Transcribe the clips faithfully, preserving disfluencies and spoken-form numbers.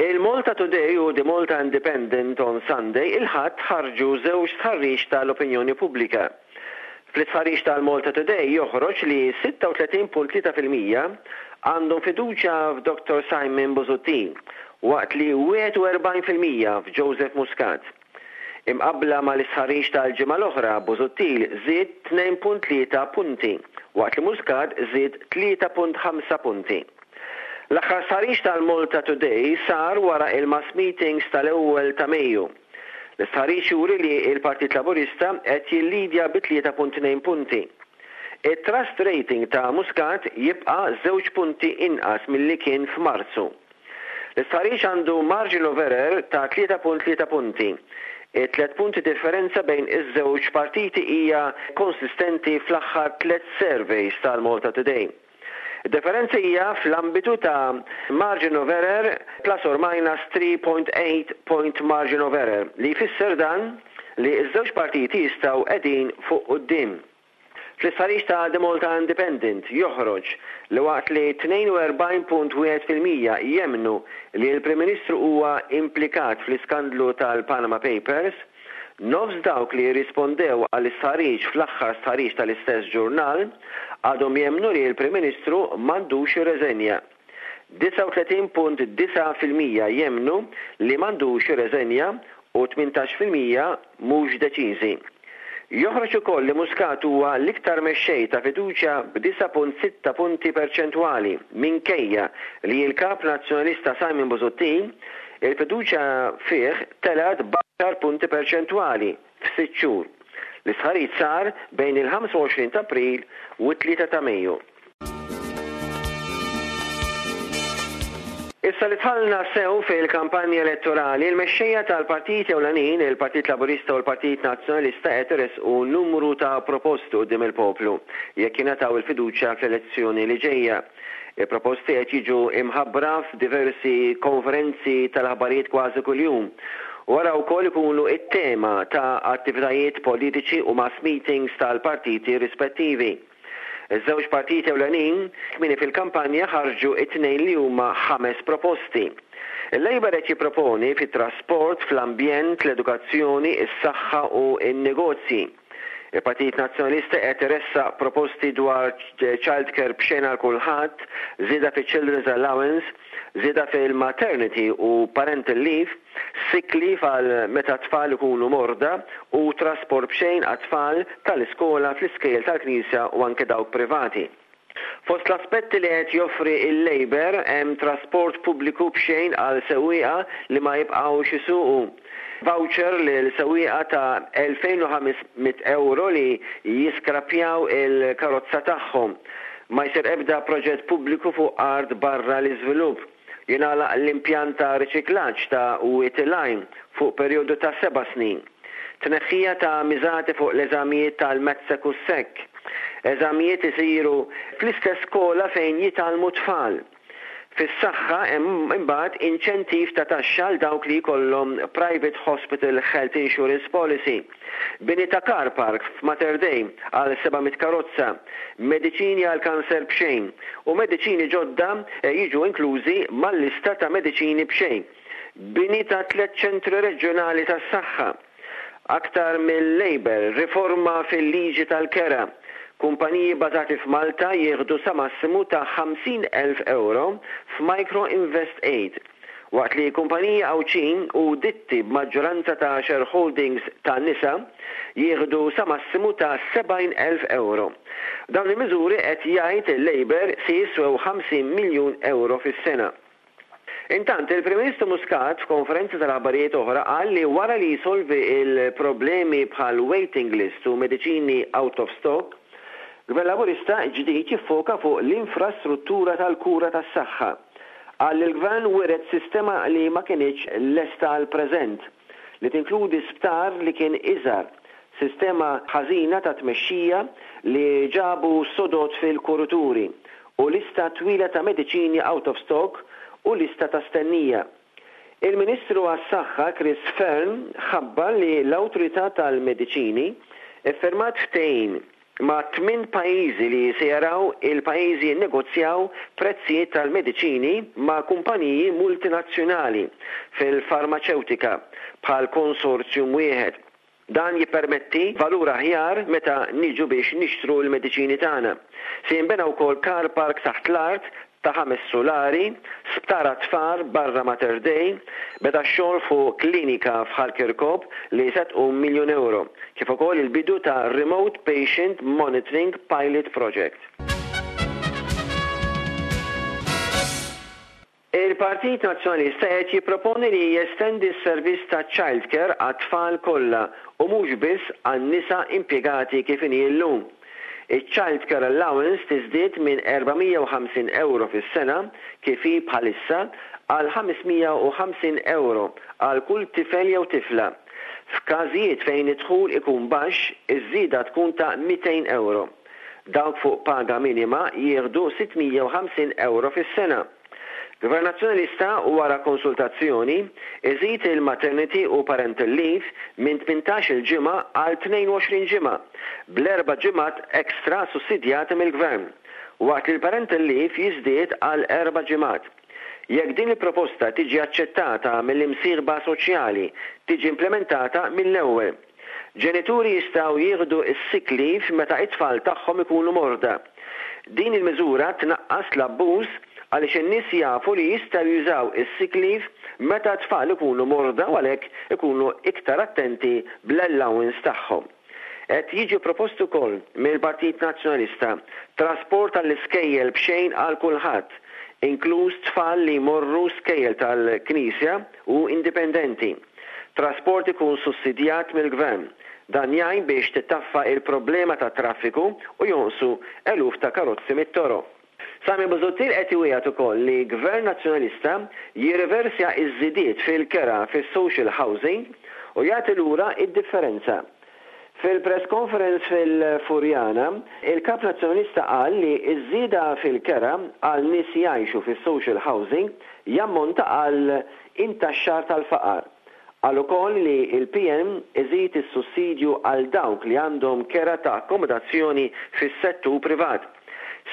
Il-Malta Today u The Malta Independent on Sunday, il-Ħadd, ħarġu żewġ stħarriġ tal-opinjoni pubblika. Fl-istħarriġ tal-Malta Today joħroġ li sitta u tletin punt tlieta fil-mija għandhom fiduċja f'Doktor Simon Busuttil, waqt li wieħed u erbgħin fil-mija f'Joseph Muscat. Imqabbla mal-istħarriġ tal-ġimgħa l-oħra, Busuttil żied tnejn punt tlieta punti, waqt li Muscat żied tlieta punt ħamsa punti. L-aħħar stħarriġ tal-Malta Today sar wara il-mass meetings tal-ewwel ta' Mejju. L-istħarriġ juri li il-Partit Laburista qed jillidja bi tlieta punt tnejn punti. Il-trust rating ta' Muscat jibqa' żewġ punti inqas milli kien f'Marzu. L-istħarriġ għandu margin of error ta' tlieta punt tlieta punti. It-tlet punti differenza bejn iż-żewġ partiti hija konsistenti fl-aħħar tliet surveys tal-Malta Today. Differenza hija fl-ambitu ta' margin of error plus or minus three point eight point margin of error, li jfisser dan li ż-żewġ partiti jistgħu qegħdin fuq quddiem. Fl-istħarriġ ta' The Malta Independent joħroġ li waqt li tnejn u erbgħin punt wieħed fil-mija jemmnu li l-Prim Ministru huwa implikat fl-iskandlu tal-Panama Papers, nofs dawk li rispondew għall-istħarriġ fl-aħħar stħarriġ tal-istess ġurnal għadhom jemmnu li l-Prim Ministru m'għandux jirreżenja. disgħa u tletin punt disgħa fil-mija jemmnu li m'għandux jirreżenja u tmintax fil-mija mhux deċiżi. Joħroġ ukoll li Muscat huwa l-iktar mexxej ta' fiduċja b'disgħa punt sitta punti perċentwali, minkejja li l-kap nazzjonalista Simon Busuttil il-fiduċja fih telgħet b'għaxar punti perċentwali f'sitt xhur. L-istħarriġ sar bejn il-ħamsa u għoxrin ta' April u t-tlieta ta' Mejju. Issa li dħalna sew fil-kampanja elettorali, il-mexxejja tal-partiti ewlenin, il-Partit Laburista u l-Partit Nazzjonalista, qed iresqu numru ta' proposti quddiem il-poplu jekk jingħataw il-fiduċja fl-elezzjoni li ġejja. Il-proposti qed jiġu imħabbra f'diversi konferenzi tal-aħbarijiet kważi kuljum. Wara wkoll ikunu it-tema ta' attivitajiet politiċi u mass meetings tal-partiti rispettivi. Iż-żewġ partiti ewlenin kmieni fil-kampanja ħarġu it-tnejn li huma ħames proposti. Il-Labour qed jipproponi fit-trasport, fl-ambjent, l-edukazzjoni, is-saħħa u n-negozji. Il-Partit Nazzjonalista qed iressaq proposti dwar childcare b'xejn għal kulħadd, żieda fi Children's Allowance, żieda fil-maternity u parental leave, sick leave għal meta tfal ikunu morda u trasport b'xejn għat-tfal tal-iskola fl-iskejjel tal-Knisja u anke dawk privati. Fost l-aspetti li qed joffri il-Labour hemm trasport pubbliku b'xejn għal sewwieqa li ma jibqgħux isuqu, voucher lil sewwieqa ta' elfejn u ħames mitt euro li jiskrapjaw il-karozza tagħhom. Ma jsir ebda proġett pubbliku fuq art barra l-iżvilupp. Jingħalaq l-impjant ta' riċiklaġġ ta' Wied il-Għajn fuq perjodu ta' seba' snin. Tneħħija ta' miżati fuq l-eżamijiet tal-MATSEC u S E C. Eżamijiet isiru fl-istess skola fejn jitgħallmu tfal. Fis-saħħa hemm imbagħad inċentiv ta' taxxa għal dawk li jkollhom private hospital health insurance policy. Bini ta' car park f'Mater Dei għal seba' mitt karozza, mediċini għal kanser b'xejn u mediċini ġodda eh, jiġu inklużi mal-lista ta' mediċini b'xejn. Bini ta' tliet ċentri reġjonali tas-saħħa. Aktar mill-Labour, riforma fil-liġi tal-kera. Kumpaniji bazati f'Malta jieħdu sa massimu ta' ħamsin elf euro f'Micro Invest Aid, waqt li kumpaniji Għawdxin u ditti b'maġġoranza ta' shareholdings ta' nisa jieħdu sa massimu ta' sebgħin elf euro. Dawn il-miżuri, qed jgħid il-Labour, se jiswew ħamsin miljun euro fis-sena. Intant, il-Prim Ministru Muscat f'konferenza tal-aħbarijiet oħra qal li wara li jisolvi il-problemi bħal waiting list u mediċini out of stock, Gvern Laburista ġdid jiffoka fuq l-infrastruttura tal-kura tas-saħħa. Qal li l-gvern wiret sistema li ma kinitx lesta għal preżent, li tinkludi sptar li kien iżgħar, sistema ħażina ta' tmexxija li ġabu sodod fil-kurituri u lista twila ta' mediċini out of stock u lista ta' stennija. Il-Ministru għas-Saħħa Chris Fearne ħabbar li l-Awtorità tal-Mediċini iffirmat ftehim ma' tmien pajjiżi li se jaraw il-pajjiżi jinnegozjaw prezzijiet tal-mediċini ma' kumpaniji multinazzjonali fil-farmaċewtika bħal konsorzjum wieħed. Dan jippermetti valur aħjar meta niġu biex nixtru l-mediċini tagħna. Se jinbena wkoll car park taħt l-art ta' ħames sulari, sptar għat-tfal barra Mater Dei, beda x-xogħol fuq klinika f'Ħal Kirkop li se tqum miljun ewro, kif ukoll il-bidu ta' Remote Patient Monitoring Pilot Project. Il-Partit Nazzjonalista qed jipproponi li jestendi s-servizz ta' childcare għat-tfal kollha u mhux biss għan-nisa impjegati kif inhi llum. Iċ-Child Care Allowance tiżdied minn erba' mija u ħamsin ewro fis-sena kif hi bħalissa għal ħames mija u ħamsin ewro għal kull tifel jew tifla. F'każijiet fejn id-dħul ikun baxx, iż-żieda tkun ta' mitejn ewro. Dawk fuq paga minima jieħdu sitt mija u ħamsin ewro fis-sena. Gvern Nazzjonalista wara konsultazzjoni iżid il-maternity u parental leave minn tmintax-il ġimgħa għal tnejn u għoxrin ġimgħa, bl-erba' ġimgħat ekstra sussidjati mill-Gvern, waqt li l-parental leave jiżdied għal erba' ġimgħat. Jekk din il-proposta tiġi aċċettata mill-imsieħba soċjali, tiġi implementata mill-ewwel. Ġenituri jistgħu jieħdu s-sick leave meta it-tfal tagħhom ikunu morda. Din il-miżura tnaqqas l-abbuż għaliex in-nies jafu li jistgħu jużaw is-sick leave meta t-tfal ikunu morda u għalhekk ikunu iktar attenti bl-allowance tagħhom. Qed jiġi propost ukoll mill-Partit Nazzjonalista trasport għall-iskejjel b'xejn għal kulħadd, inkluż tfal li jmorru skejjel tal-Knisja u indipendenti. Trasport ikun sussidjat mill-Gvern. Dan jgħin biex tittaffa il-problema ta' traffiku u jonqsu eluf ta' karozzi mit-toroq. Simon Busuttil qed iwiegħed ukoll li Gvern Nazzjonalista jirriversja iż-żidiet fil-kera fis-social housing u jagħti lura id-differenza. Fil-press conference fil-Furjana, il-Kap Nazzjonalista qal li ż-żieda fil-kera għal nies jgħixu fis-social housing jammonta għal intaxxar tal-faqar. Qal ukoll li l-P N iżid is-sussidju għal dawk li għandhom kera ta' akkomodazzjoni fis-settur privat.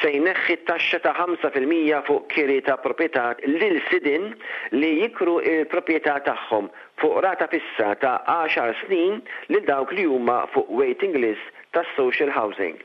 Se jneħħi t-taxxa ta' ħamsa fil-mija fuq kiri ta' proprjetà lil sidien li jikru il-proprjetà tagħhom fuq rata fissa ta' għaxar snin lil dawk li huma fuq waiting list tas-social housing.